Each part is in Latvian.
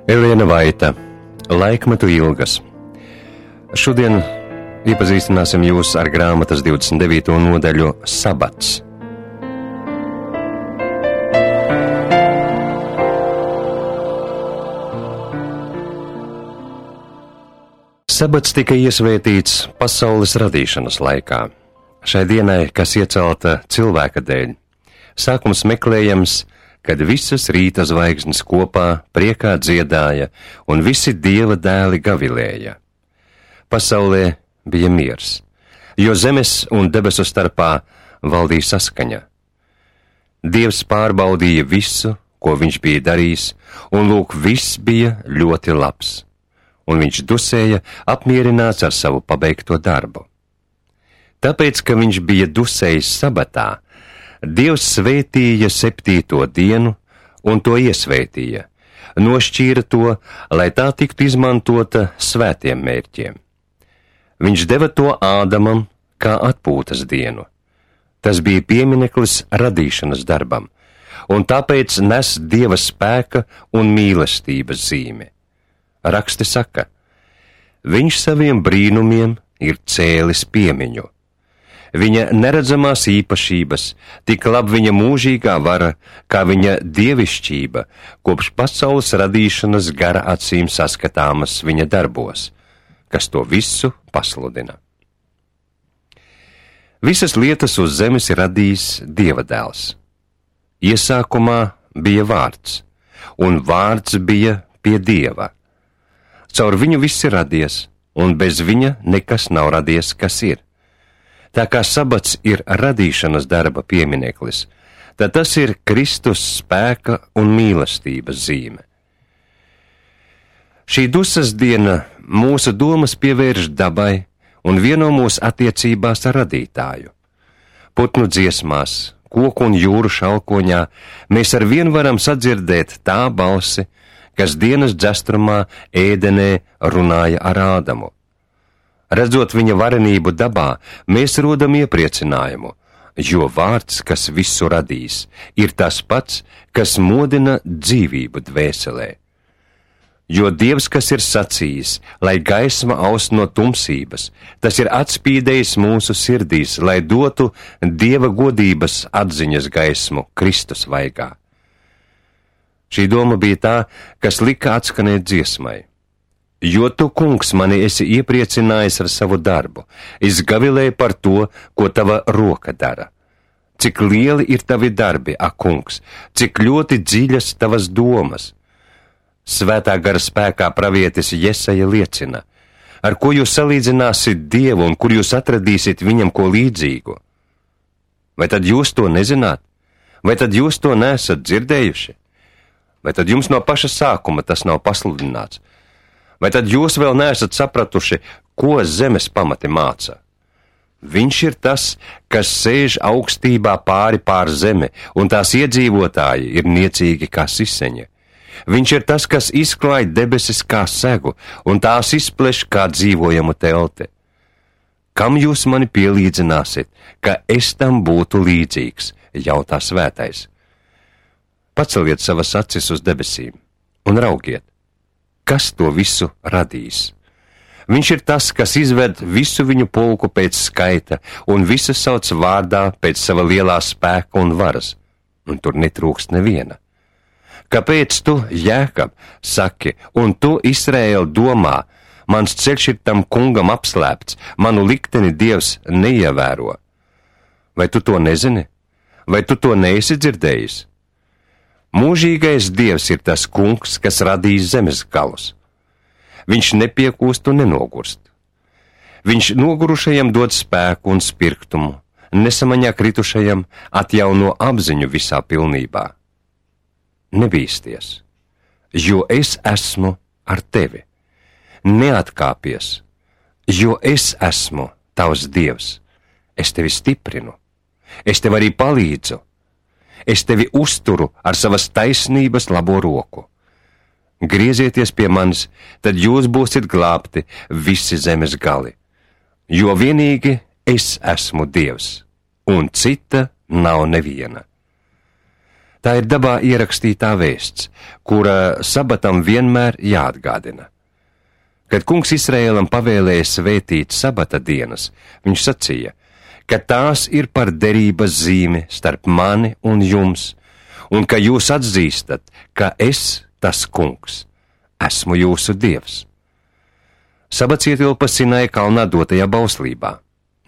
Elēna Vaita, Laikmetu ilgas. Šodien iepazīstināsim jūs ar grāmatas 29. nodaļu Sabats. Sabats tika iesvētīts pasaules radīšanas laikā. Šai dienai, kas iecelta cilvēka dēļ, sākums meklējams, kad visas rīta zvaigznes kopā priekā dziedāja un visi Dieva dēli gavilēja. Pasaulē bija miers, jo zemes un debesu starpā valdīja saskaņa. Dievs pārbaudīja visu, ko viņš bija darījis, un lūk, viss bija ļoti labs, un viņš dusēja apmierināts ar savu pabeigto darbu. Tāpēc, ka viņš bija dusējis sabatā, Dievs svētīja 7. dienu un to iesvētīja, nošķīra to, lai tā tiktu izmantota svētiem mērķiem. Viņš deva to Ādamam kā atpūtas dienu. Tas bija piemineklis radīšanas darbam, un tāpēc nes Dieva spēka un mīlestības zīme. Raksti saka, viņš saviem brīnumiem ir cēlis piemiņu. Viņa neredzamās īpašības, tik labi viņa mūžīgā vara, kā viņa dievišķība, kopš pasaules radīšanas gara acīm saskatāmas viņa darbos, kas to visu pasludina. Visas lietas uz zemes ir radījis Dieva dēls. Iesākumā bija vārds, un vārds bija pie Dieva. Caur viņu viss ir radies, un bez viņa nekas nav radies, kas ir. Tā kā sabats ir radīšanas darba piemineklis, tad tas ir Kristus spēka un mīlestības zīme. Šī dusas diena mūsu domas pievērš dabai un vieno mūsu attiecībās ar radītāju. Putnu dziesmās, koku un jūru šalkoņā mēs ar vien varam sadzirdēt tā balsi, kas dienas dzestrumā ēdenē runāja ar Ādamu. Redzot viņa varenību dabā, mēs rodam iepriecinājumu, jo vārds, kas visu radīs, ir tas pats, kas modina dzīvību dvēselē. Jo Dievs, kas ir sacījis, lai gaisma aust no tumsības, tas ir atspīdējis mūsu sirdīs, lai dotu Dieva godības atziņas gaismu Kristus vaigā. Šī doma bija tā, kas lika atskanēt dziesmai. Jo tu, kungs, mani esi iepriecinājis ar savu darbu, es gavilēju par to, ko tava roka dara. Cik lieli ir tavi darbi, ak, kungs, cik ļoti dziļas tavas domas. Svētā gara spēkā pravietis Jesaja liecina, ar ko jūs salīdzināsiet Dievu un kur jūs atradīsiet viņam ko līdzīgu. Vai tad jūs to nezināt? Vai tad jūs to neesat dzirdējuši? Vai tad jums no paša sākuma tas nav pasludināts? Vai tad jūs vēl neesat sapratuši, ko zemes pamati māca? Viņš ir tas, kas sēž augstībā pār zemi, un tās iedzīvotāji ir niecīgi kā siseņi. Viņš ir tas, kas izklāj debesis kā segu, un tās izpleš kā dzīvojamu telti. Kam jūs mani pielīdzināsiet, ka es tam būtu līdzīgs, jautā svētais. Paceliet savas acis uz debesīm un raugiet. Kas to visu radīs? Viņš ir tas, kas izved visu viņu pulku pēc skaita un visu sauc vārdā pēc sava lielā spēka un varas, un tur netrūkst neviena. Kāpēc tu, Jēkab, saki, un tu, Izraēl, domā, mans ceļš ir tam kungam apslēpts, manu likteni Dievs neievēro? Vai tu to nezini? Vai tu to neesi dzirdējis? Mūžīgais Dievs ir tas kungs, kas radīs zemes galus. Viņš nepiekūst un nenogurst. Viņš nogurušajam dod spēku un spirktumu, nesamaņā kritušajam atjauno apziņu visā pilnībā. Nebīsties, jo es esmu ar tevi. Neatkāpies, jo es esmu tavs Dievs. Es tevi stiprinu, es tev arī palīdzu. Es tevi uzturu ar savas taisnības labo roku. Griezieties pie manis, tad jūs būsiet glābti visi zemes gali, jo vienīgi es esmu Dievs, un cita nav neviena. Tā ir dabā ierakstītā vēsts, kura sabatam vienmēr jāatgādina. Kad kungs Izraēlam pavēlēja svētīt sabata dienas, viņš sacīja, ka tās ir par derības zīmi starp mani un jums, un ka jūs atzīstat, ka es, tas kungs, esmu jūsu dievs. Sabats ietilpa Sinaja kalnā dotajā bauslībā,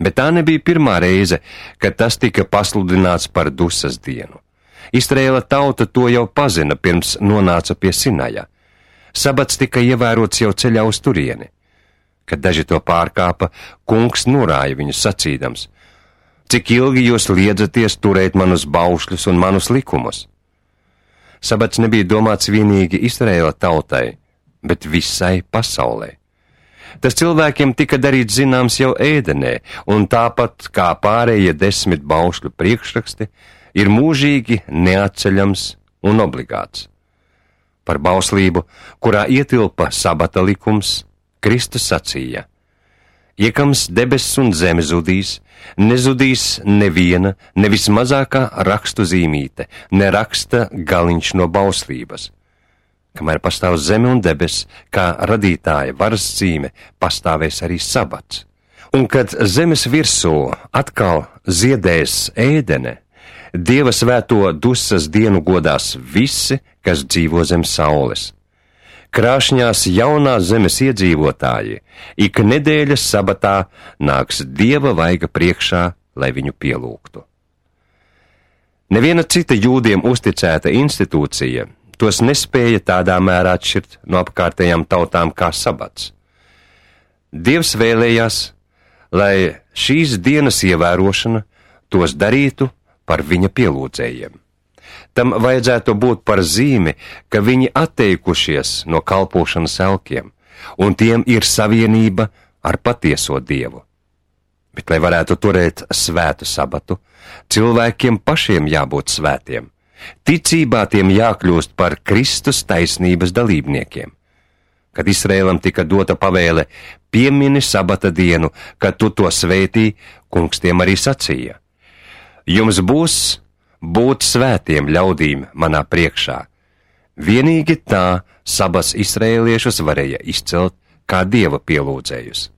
bet tā nebija pirmā reize, kad tas tika pasludināts par dusas dienu. Izraēla tauta to jau pazina pirms nonāca pie Sinaja. Sabats tika ievērots jau ceļā uz turieni. Kad daži to pārkāpa, kungs norāja viņus sacīdams: cik ilgi jūs liedzaties turēt manus baušļus un manus likumus? Sabats nebija domāts vienīgi Izraēla tautai, bet visai pasaulē. Tas cilvēkiem tika darīts zināms jau ēdenē, un tāpat kā pārējie 10 baušļu priekšraksti, ir mūžīgi neatceļams un obligāts. Par bauslību, kurā ietilpa sabata likums, Kristus sacīja: iekams debesis un zeme zudīs, nezudīs neviena, ne vismazākā rakstu zīmīte, ne raksta galiņš no bauslības. Kamēr pastāv zeme un debes, kā radītāja varas zīme, pastāvēs arī sabats. Un kad zemes virsū atkal ziedēs ēdene, Dieva svēto dusas dienu godās visi, kas dzīvo zem saules. Krāšņās jaunās zemes iedzīvotāji ik nedēļas sabatā nāks Dieva vaiga priekšā, lai viņu pielūgtu. Neviena cita jūdiem uzticēta institūcija tos nespēja tādā mērā atšķirt no apkārtējām tautām kā sabats. Dievs vēlējās, lai šīs dienas ievērošana tos darītu par viņa pielūdzējiem. Tam vajadzētu būt par zīmi, ka viņi atteikušies no kalpošanas elkiem, un tiem ir savienība ar patieso Dievu. Bet, lai varētu turēt svētu sabatu, cilvēkiem pašiem jābūt svētiem. Ticībā tiem jākļūst par Kristus taisnības dalībniekiem. Kad Izraēlam tika dota pavēle piemini sabata dienu, kad tu to svētī, kungs tiem arī sacīja: jums būs būt svētiem ļaudīm manā priekšā. Vienīgi tā sabats izraēliešus varēja izcelt kā Dieva pielūdzējus.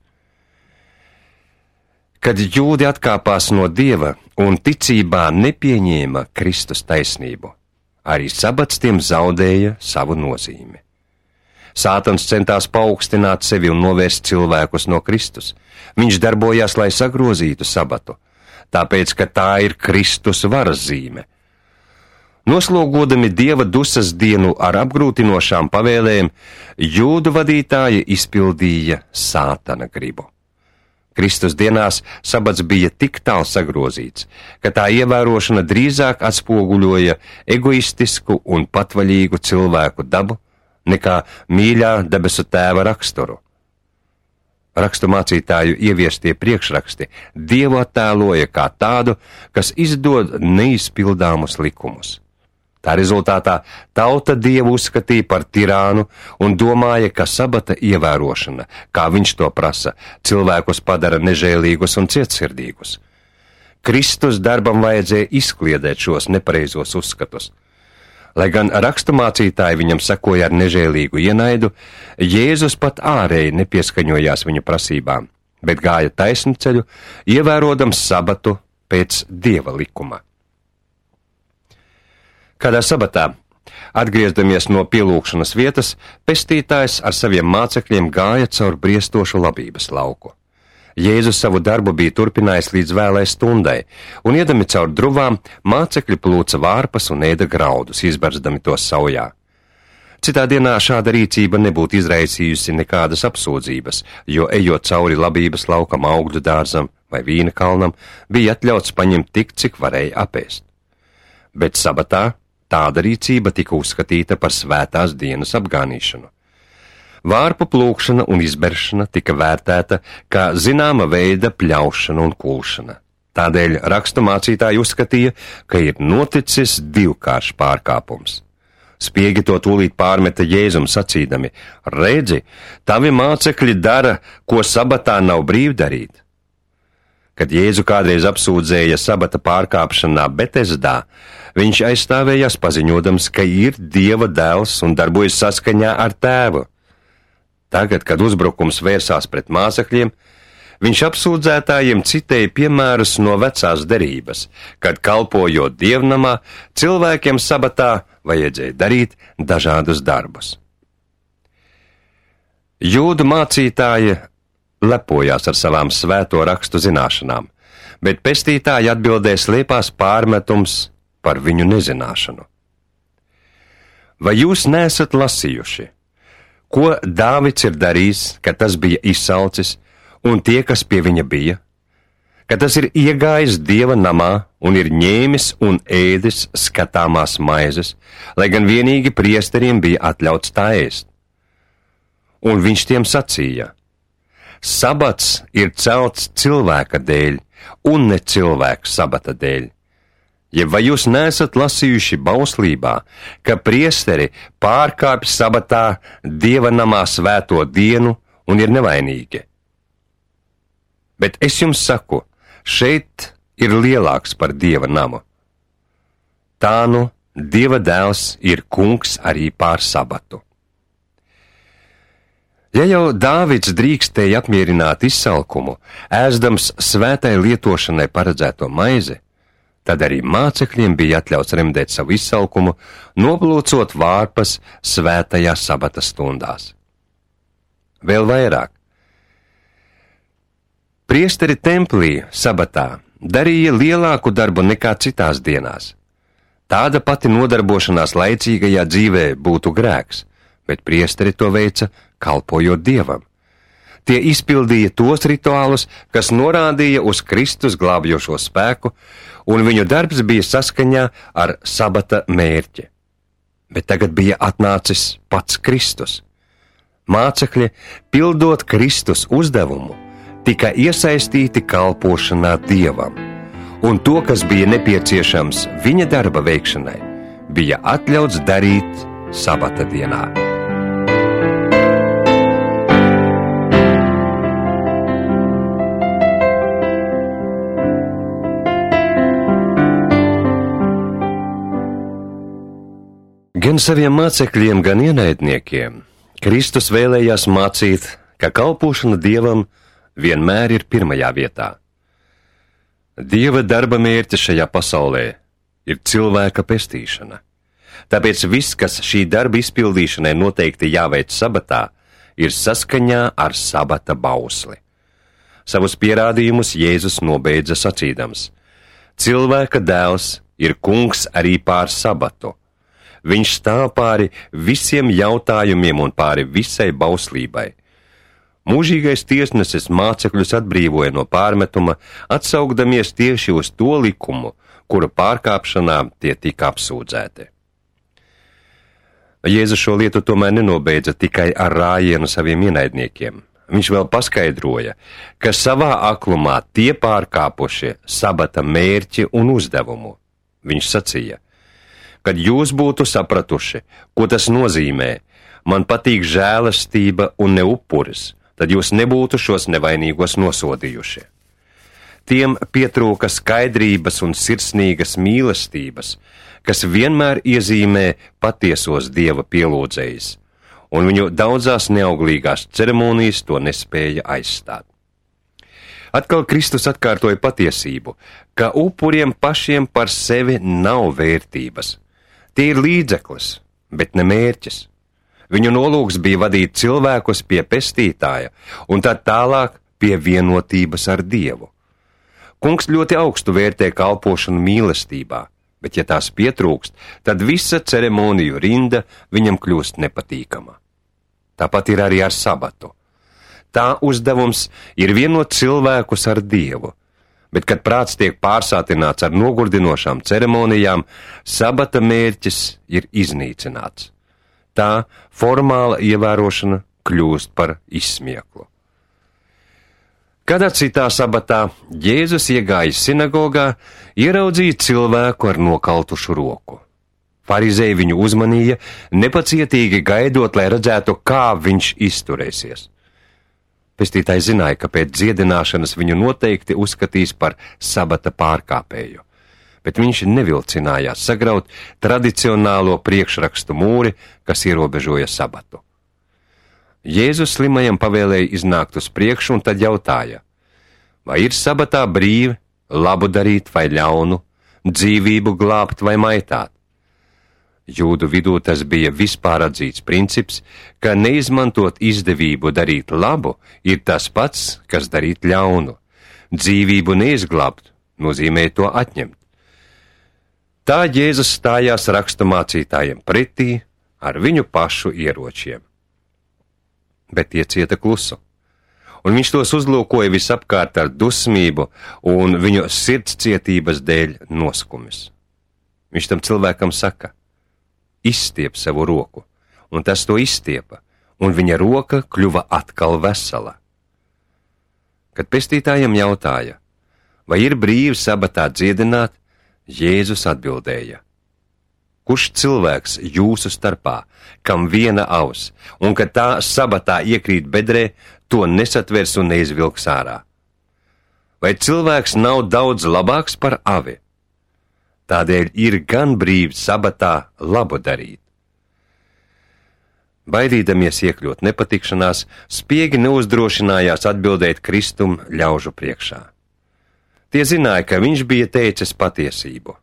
Kad jūdi atkāpās no Dieva un ticībā nepieņēma Kristus taisnību, arī sabats tiem zaudēja savu nozīmi. Sātans centās paaugstināt sevi un novērst cilvēkus no Kristus. Viņš darbojās, lai sagrozītu sabatu, tāpēc, ka tā ir Kristus varas zīme. Noslogodami Dieva dusas dienu ar apgrūtinošām pavēlēm, jūdu vadītāji izpildīja Sātana gribu. Kristus dienās sabats bija tik tālu sagrozīts, ka tā ievērošana drīzāk atspoguļoja egoistisku un patvaļīgu cilvēku dabu nekā mīļā debesu tēva raksturu. Rakstu mācītāju ieviestie priekšraksti Dievu attēloja kā tādu, kas izdod neizpildāmus likumus. Tā rezultātā tauta Dievu uzskatīja par tirānu un domāja, ka sabata ievērošana, kā viņš to prasa, cilvēkus padara nežēlīgus un cietsirdīgus. Kristus darbam vajadzēja izkliedēt šos nepareizos uzskatus. Lai gan raksturmācītāji viņam sekoja ar nežēlīgu ienaidu, Jēzus pat ārēji nepieskaņojās viņu prasībām, bet gāja taisnu ceļu, ievērodams sabatu pēc Dieva likuma. Kādā sabatā, atgriezdamies no pielūgšanas vietas, pestītājs ar saviem mācekļiem gāja caur briestošu labības lauku. Jēzus savu darbu bija turpinājis līdz vēlai stundai, un iedami caur druvām, mācekļi plūca vārpas un ēda graudus, izbarzdami tos saujā. Citā dienā šāda rīcība nebūtu izraisījusi nekādas apsūdzības, jo ejot cauri labības laukam, augļu dārzam vai vīna kalnam, bija atļauts paņemt tik, cik varēja apēst. Bet sabatā tāda rīcība tika uzskatīta par svētās dienas apgānīšanu. Vārpu plūkšana un izberšana tika vērtēta kā zināma veida pļaušana un kulšana. Tādēļ raksturmācītāji uzskatīja, ka ir noticis divkāršs pārkāpums. Spiegi to tūlīt pārmeta Jēzum sacīdami: redzi, tavi mācekļi dara, ko sabatā nav brīvi darīt. Kad Jēzu kādreiz apsūdzēja sabata pārkāpšanā Betesdā, viņš aizstāvējās paziņodams, ka ir Dieva dēls un darbojas saskaņā ar tēvu. Tagad, kad uzbrukums vērsās pret mācekļiem, viņš apsūdzētājiem citēja piemērus no vecās derības, kad kalpojot dievnamā, cilvēkiem sabatā vajadzēja darīt dažādus darbus. Jūdu mācītāji lepojās ar savām svēto rakstu zināšanām, bet pestītāji atbildē slēpās pārmetums par viņu nezināšanu. Vai jūs neesat lasījuši, ko Dāvids ir darījis, kad tas bija izsalcis, un tie, kas pie viņa bija? Ka tas ir iegājis Dieva namā un ir ņēmis un ēdis skatāmās maizes, lai gan vienīgi priesteriem bija atļauts tā ēst. Un viņš tiem sacīja: Sabats ir celts cilvēka dēļ, un ne cilvēka sabata dēļ. Ja vai jūs neesat lasījuši bauslībā, ka priesteri pārkāpj sabatā Dieva namā svēto dienu un ir nevainīgi? Bet es jums saku, šeit ir lielāks par Dieva namu. Tā nu Dieva dēls ir kungs arī pār sabatu. Ja jau Dāvids drīkstēja apmierināt izsalkumu, ēzdams svētai lietošanai paredzēto maizi, tad arī mācekļiem bija atļauts remdēt savu izsalkumu, noplūcot vārpas svētajā sabata stundās. Vēl vairāk. Priesteri templī sabatā darīja lielāku darbu nekā citās dienās. Tāda pati nodarbošanās laicīgajā dzīvē būtu grēks, bet priesteri to veica kalpojot Dievam. Tie izpildīja tos rituālus, kas norādīja uz Kristus glābjošo spēku, un viņu darbs bija saskaņā ar sabata mērķi. Bet tagad bija atnācis pats Kristus. Mācekļi, pildot Kristus uzdevumu, tika iesaistīti kalpošanā Dievam, un to, kas bija nepieciešams viņa darba veikšanai, bija atļauts darīt sabata dienā. Gan saviem mācekļiem, gan ienaidniekiem Kristus vēlējās mācīt, ka kalpošana Dievam vienmēr ir pirmajā vietā. Dieva darba mērķis šajā pasaulē ir cilvēka pestīšana. Tāpēc viss, kas šī darba izpildīšanai noteikti jāveic sabatā, ir saskaņā ar sabata bausli. Savus pierādījumus Jēzus nobeidza sacīdams: Cilvēka dēls ir kungs arī pār sabatu. Viņš stāv pāri visiem jautājumiem un pāri visai bauslībai. Mūžīgais tiesnesis mācekļus atbrīvoja no pārmetuma, atsaugdamies tieši uz to likumu, kura pārkāpšanā tie tika apsūdzēti. Jēzus šo lietu tomēr nenobeidza tikai ar rājienu saviem ienaidniekiem. Viņš vēl paskaidroja, ka savā aklumā tie pārkāpušie sabata mērķi un uzdevumu. Viņš sacīja: Kad jūs būtu sapratuši, ko tas nozīmē, man patīk žēlastība un ne upuris, tad jūs nebūtu šos nevainīgos nosodījuši. Tiem pietrūka skaidrības un sirsnīgas mīlestības, kas vienmēr iezīmē patiesos Dieva pielūdzējus, un viņu daudzās neauglīgās ceremonijas to nespēja aizstāt. Atkal Kristus atkārtoja patiesību, ka upuriem pašiem par sevi nav vērtības. Tie ir līdzeklis, bet ne mērķis. Viņu nolūks bija vadīt cilvēkus pie pestītāja un tad tālāk pie vienotības ar Dievu. Kungs ļoti augstu vērtē kalpošanu mīlestībā, bet ja tās pietrūkst, tad visa ceremoniju rinda viņam kļūst nepatīkama. Tāpat ir arī ar sabatu. Tā uzdevums ir vienot cilvēkus ar Dievu, bet, kad prāts tiek pārsātināts ar nogurdinošām ceremonijām, sabata mērķis ir iznīcināts. Tā formāla ievērošana kļūst par izsmieklu. Kādā citā sabatā Jēzus iegājis sinagogā, ieraudzīja cilvēku ar nokaltušu roku. Farizēji viņu uzmanīja, nepacietīgi gaidot, lai redzētu, kā viņš izturēsies. Pestītājs zināja, ka pēc dziedināšanas viņu noteikti uzskatīs par sabata pārkāpēju, bet viņš nevilcinājās sagraut tradicionālo priekšrakstu mūri, kas ierobežoja sabatu. Jēzus slimajam pavēlēja iznākt uz priekšu un tad jautāja, vai ir sabatā brīvi, labu darīt vai ļaunu, dzīvību glābt vai maitāt? Jūdu vidū tas bija vispār atzīts princips, ka neizmantot izdevību darīt labu ir tas pats, kas darīt ļaunu. Dzīvību neizglābt nozīmē to atņemt. Tā Jēzus stājās raksturmācītājiem pretī ar viņu pašu ieročiem. Bet tie cieta klusu, un viņš tos uzlūkoja visapkārt ar dusmību un viņu sirdscietības dēļ noskumis. Viņš tam cilvēkam saka, izstiep savu roku, un tas to izstiepa, un viņa roka kļuva atkal vesela. Kad pestītājam jautāja, vai ir brīvi sabatā dziedināt, Jēzus atbildēja, kurš cilvēks jūsu starpā, kam viena auss, un kad tā sabatā iekrīt bedrē, to nesatvers un neizvilks ārā? Vai cilvēks nav daudz labāks par avi? Tādēļ ir gan brīvi sabatā labu darīt. Baidīdamies iekļūt nepatikšanās, spiegi neuzdrošinājās atbildēt Kristum ļaužu priekšā. Tie zināja, ka viņš bija teicis patiesību,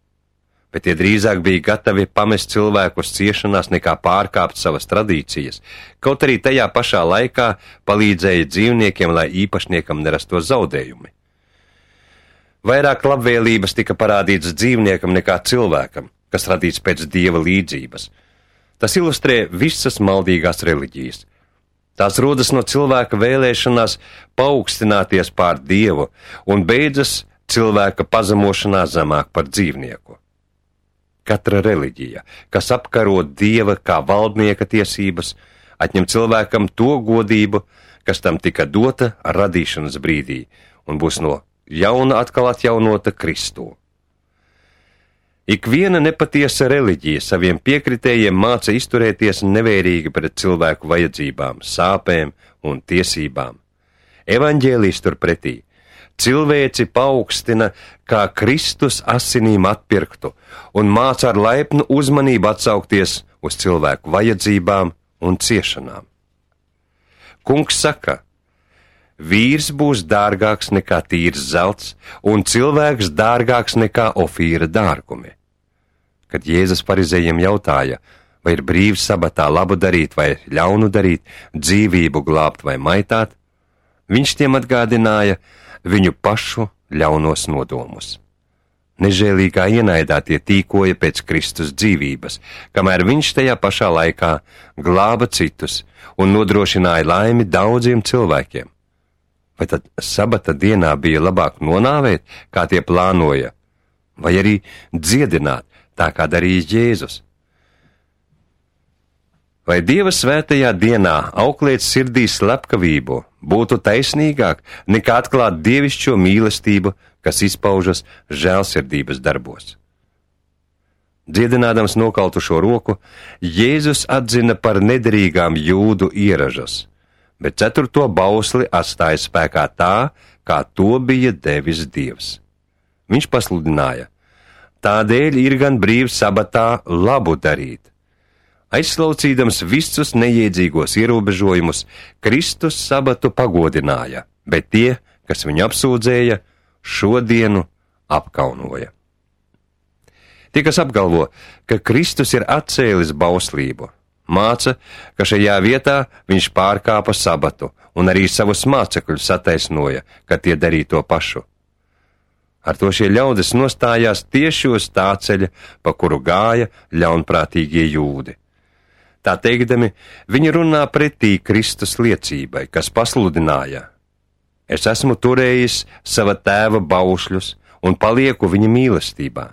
bet tie drīzāk bija gatavi pamest cilvēkus ciešanās nekā pārkāpt savas tradīcijas, kaut arī tajā pašā laikā palīdzēja dzīvniekiem, lai īpašniekam nerastos zaudējumi. Vairāk labvēlības tika parādīts dzīvniekam nekā cilvēkam, kas radīts pēc Dieva līdzības. Tas ilustrē visas maldīgās reliģijas. Tās rodas no cilvēka vēlēšanās paaugstināties pār Dievu un beidzas cilvēka pazemošanā zemāk par dzīvnieku. Katra reliģija, kas apkaro Dieva kā valdnieka tiesības, atņem cilvēkam to godību, kas tam tika dota radīšanas brīdī, un būs no jauna atkal atjaunota Kristū. Ikviena nepatiesa reliģija saviem piekritējiem māca izturēties nevērīgi pret cilvēku vajadzībām, sāpēm un tiesībām. Evaņģēlijs turpretī cilvēci paaugstina kā Kristus asinīm atpirktu un māca ar laipnu uzmanību atsaukties uz cilvēku vajadzībām un ciešanām. Kungs saka, vīrs būs dārgāks nekā tīrs zelts, un cilvēks dārgāks nekā ofīra dārgumi. Kad Jēzus farizējiem jautāja, vai ir brīvs sabatā labu darīt vai ļaunu darīt, dzīvību glābt vai maitāt, viņš tiem atgādināja viņu pašu ļaunos nodomus. Nežēlīgā ienaidā tie tīkoja pēc Kristus dzīvības, kamēr viņš tajā pašā laikā glāba citus un nodrošināja laimi daudziem cilvēkiem. Vai tad sabata dienā bija labāk nonāvēt, kā tie plānoja, vai arī dziedināt, tā kā darīja Jēzus? Vai Dieva svētajā dienā auklēt sirdī slepkavību būtu taisnīgāk nekā atklāt dievišķo mīlestību, kas izpaužas žēlsirdības darbos? Dziedinādams nokaltušo roku, Jēzus atzina par nederīgām jūdu ieražas, bet 4. bausli atstāja spēkā tā, kā to bija devis Dievs. Viņš pasludināja, tādēļ ir gan brīvs sabatā labu darīt. Aizslaucīdams visus neiedzīgos ierobežojumus, Kristus sabatu pagodināja, bet tie, kas viņu apsūdzēja, šodienu apkaunoja. Tie, kas apgalvo, ka Kristus ir atcēlis bauslību, māca, ka šajā vietā viņš pārkāpa sabatu un arī savus mācekļus attaisnoja, ka tie darīja to pašu. Ar to šie ļaudis nostājās tieši uz tā ceļa, pa kuru gāja ļaunprātīgie jūdi. Tā teikdami, viņi runā pretī Kristus liecībai, kas pasludināja: es esmu turējis sava tēva baušļus un palieku viņa mīlestībā.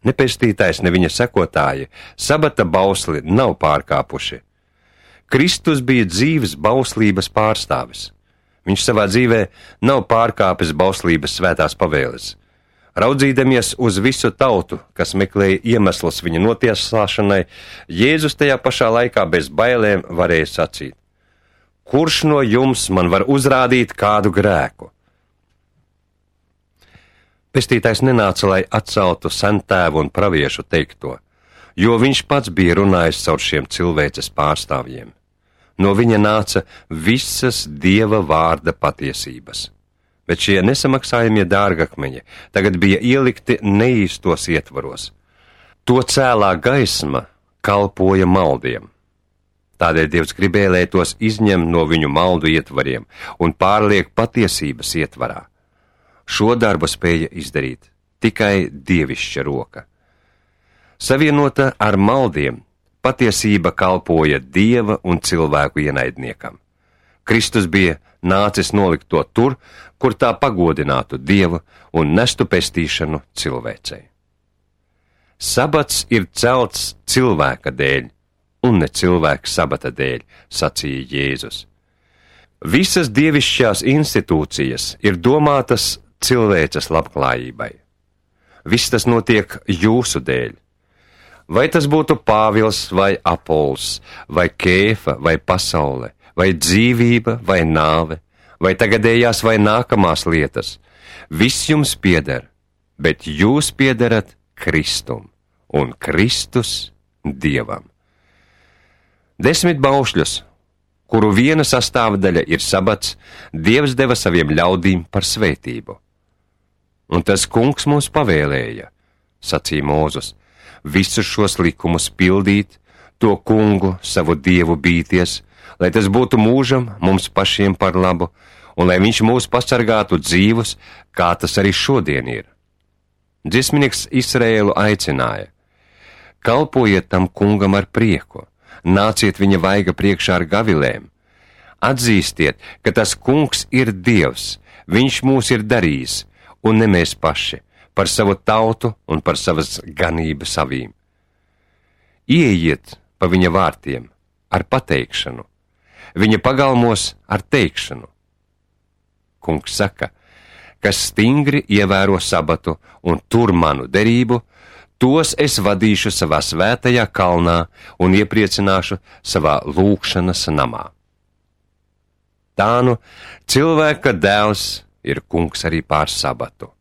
Ne pestītājs, ne viņa sekotāji sabata bausli nav pārkāpuši. Kristus bija dzīves bauslības pārstāvis. Viņš savā dzīvē nav pārkāpis bauslības svētās pavēles. Raudzīdamies uz visu tautu, kas meklēja iemeslus viņa notiesāšanai, Jēzus tajā pašā laikā bez bailēm varēja sacīt: kurš no jums man var uzrādīt kādu grēku? Pestītājs nenāca, lai atceltu sentēvu un praviešu teikto, jo viņš pats bija runājis caur šiem cilvēces pārstāvjiem. No viņa nāca visas Dieva vārda patiesības. Bet šie nesamaksājamie dārgakmeņi tagad bija ielikti neīstos ietvaros. To cēlā gaisma kalpoja maldiem. Tādēļ Dievs gribēja, lai tos izņem no viņu maldu ietvariem un pārliek patiesības ietvarā. Šo darbu spēja izdarīt tikai dievišķa roka. Savienota ar maldiem, patiesība kalpoja Dieva un cilvēku ienaidniekam. Kristus bija nācis nolikt to tur, kur tā pagodinātu Dievu un nestu pestīšanu cilvēcei. Sabats ir celts cilvēka dēļ, un ne cilvēka sabata dēļ, sacīja Jēzus. Visas dievišķās institūcijas ir domātas cilvēces labklājībai. Viss tas notiek jūsu dēļ. Vai tas būtu Pāvils vai Apols, vai Kēfa vai pasaule, vai dzīvība vai nāve, vai tagadējās vai nākamās lietas, viss jums pieder, bet jūs piederat Kristum, un Kristus Dievam. 10 baušļus, kuru viena sastāvdaļa ir sabats, Dievs deva saviem ļaudīm par svētību. Un tas kungs mums pavēlēja, sacīja Mūzus, visus šos likumus pildīt, to kungu, savu Dievu bīties, lai tas būtu mūžam mums pašiem par labu, un lai viņš mūs pasargātu dzīvus, kā tas arī šodien ir. Dziesminieks Izraēlu aicināja: kalpojiet tam kungam ar prieku, nāciet viņa vaiga priekšā ar gavilēm, atzīstiet, ka tas kungs ir Dievs, viņš mūs ir darījis, un ne mēs paši, par savu tautu un par savas ganības avīm. Ieejiet pa viņa vārtiem ar pateikšanu, viņa pagalmos ar teikšanu. Kungs saka, kas stingri ievēro sabatu un tur manu derību, tos es vadīšu savā svētajā kalnā un iepriecināšu savā lūgšanas namā. Tā nu, cilvēka dēls ir kungs arī pār sabatu.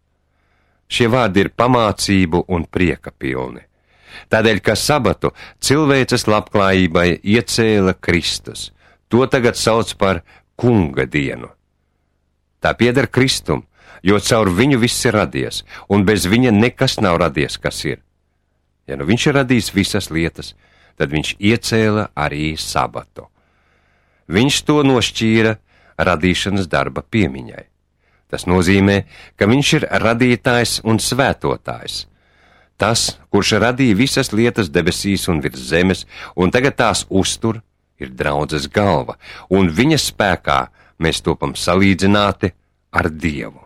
Šie vārdi ir pamācību un prieka pilni. Tādēļ, ka sabatu cilvēces labklājībai iecēla Kristus, to tagad sauc par kunga dienu. Tā pieder Kristum, jo caur viņu viss ir radies, un bez viņa nekas nav radies, kas ir. Ja nu viņš ir radījis visas lietas, tad viņš iecēla arī sabatu. Viņš to nošķīra radīšanas darba piemiņai. Tas nozīmē, ka viņš ir radītājs un svētotājs. Tas, kurš radīja visas lietas debesīs un virs zemes, un tagad tās uztur, ir draudzes galva, un viņa spēkā mēs topam salīdzināti ar Dievu.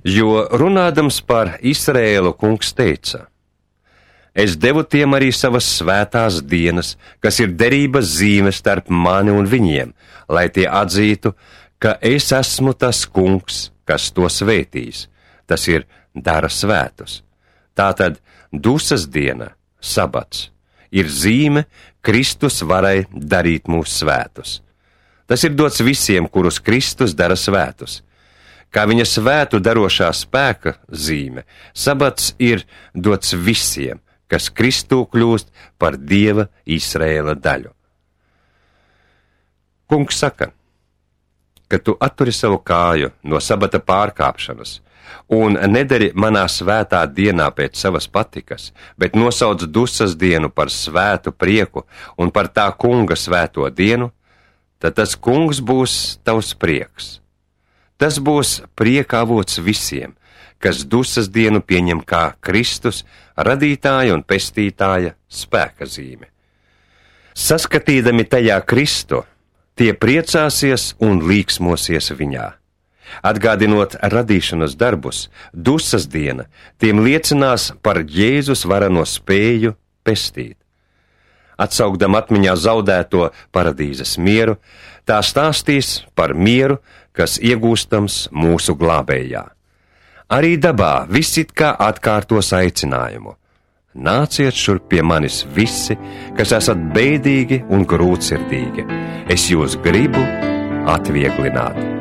Jo runādams par Izraēlu, kungs teica: es devu tiem arī savas svētās dienas, kas ir derības zīme starp mani un viņiem, lai tie atzītu, ka es esmu tas kungs, kas to svētīs, tas ir dara svētus. Tātad dusas diena, sabats, ir zīme Kristus varai darīt mūs svētus. Tas ir dots visiem, kurus Kristus dara svētus. Kā viņa svētu darošā spēka zīme, sabats ir dots visiem, kas Kristū kļūst par Dieva Izraēla daļu. Kungs saka, ka tu atturi savu kāju no sabata pārkāpšanas un nedari manā svētā dienā pēc savas patikas, bet nosauc dusas dienu par svētu prieku un par tā kunga svēto dienu, tad tas kungs būs tavs prieks. Tas būs prieka avots visiem, kas dusas dienu pieņem kā Kristus, radītāja un pestītāja spēka zīme. Saskatīdami tajā Kristu, tie priecāsies un līksmosies viņā. Atgādinot radīšanas darbus, dusas diena tiem liecinās par Jēzus varano spēju pestīt. Atsaukdam atmiņā zaudēto paradīzes mieru, tā stāstīs par mieru, kas iegūstams mūsu glābējā. Arī dabā viss it kā atkārtos aicinājumu. Nāciet šurp pie manis visi, kas esat bēdīgi un grūtsirdīgi. Es jūs gribu atvieglināt.